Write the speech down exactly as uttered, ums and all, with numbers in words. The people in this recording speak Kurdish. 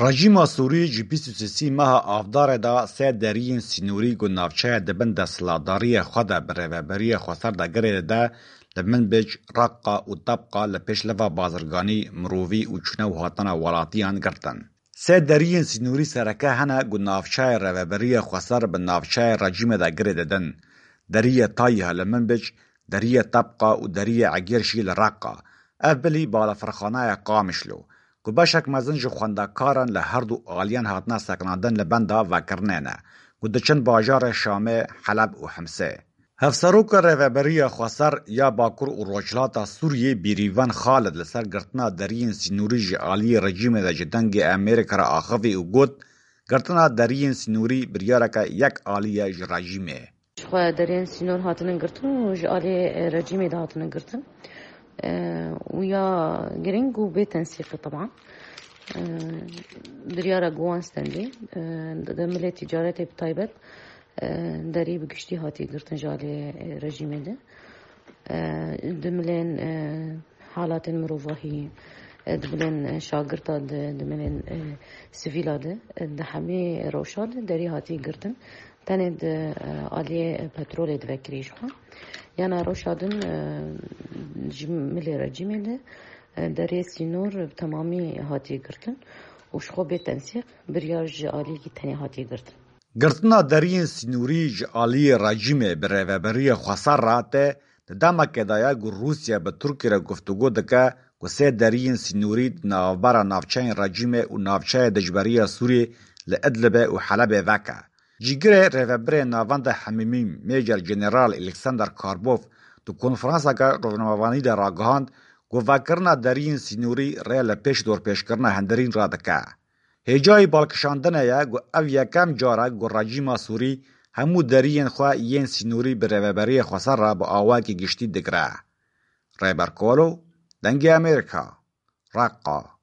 Rejîma Sûrî ji bîst û sêsî meha Avdarê de sê deriyên sînorî ku navçeya di bin desthilatdariyê xwe de bi rêveberiya xweser de girê dide, li Minbic, Reqqa û Tebqa li pêş leva bazirganî, mirovî û çûne û hatina welatiyan girtin. Sê deriyên sînorî sereke hene ku navçeyê rêveberiya xweser bi navçeyê rejîmê de girê didin. Deriyê Tayîha li Minbic, deriyê Tebqa û deriyê Egêrşî li Reqqa. Ev bilî balafirxaneya Qamişlo, ku beşek mezin ji xwendekaran li her du aliyan hatine sekinandin li benda vekirinê ne, ku diçin bajarê Şamê, Heleb û Himsê. Hevseroka Rêveberiya Xweser ya Bakur û Rojhilata Sûriyê Bîrîvan Xalid li ser girtina deriyên sînorî ji aliyê rejîmê de ji Dengê Amerîka re axivî û got, girtina deriyên sînorî biryareke yek alî ye ji rejîmê. Ji xwe deriyên sînor hatinin girtin û ji aliyê, e, rejîmê de hatinin girtin. E, û ya girîng û bê tensîq e, teban. E, biryara ku wan stendî, e, di milê tîcaretê bi taybet, e, derî bi giştî hatiye girtin ji aliyê, e, rejîmê de. E, di milên, e, halatên mirovahî, e, di milên, e, şagirta de, di milên, e, sivîla de, e, di hemî rewşa de derî hatiye girtin. Tenê di, e, aliyê petrolê divekirî ji xwe. Yana rewşa din, e, ji milê rejîmê de, e, derê sînor bi temamî hatiye girtin û ji xwe bê tensîq biryar ji aliyekî tenê hatiye girtin. Girtina deriyên sînorî ji aliyê rejîmê bi rêveberiya xweser re te di demekê de ye ku Rûsya bi Tirkiyê re guftûgo dike ku sê deriyên sînorî di navbera navçeyên rejîmê û navçeya dijberiya Sûriyê li Idlibê û Helebê veke. Cîgirê rêvebirê navenda Hemîmî Major General Alexander Karbov di konferanseke rojnamevanî de ragihand ku vekirina deriyên sînorî rê li pêş dorpêçkirina hundirîn re dike. Hêjayî balkişandinê ye ku ev yekem car e ku rejîma Sûrî hemû deriyên xwe yên sînorî bi rêveberiyê xweser re bi awayekî giştî digire. Rêber Kolo, Dengê Amerîka, Reqqa.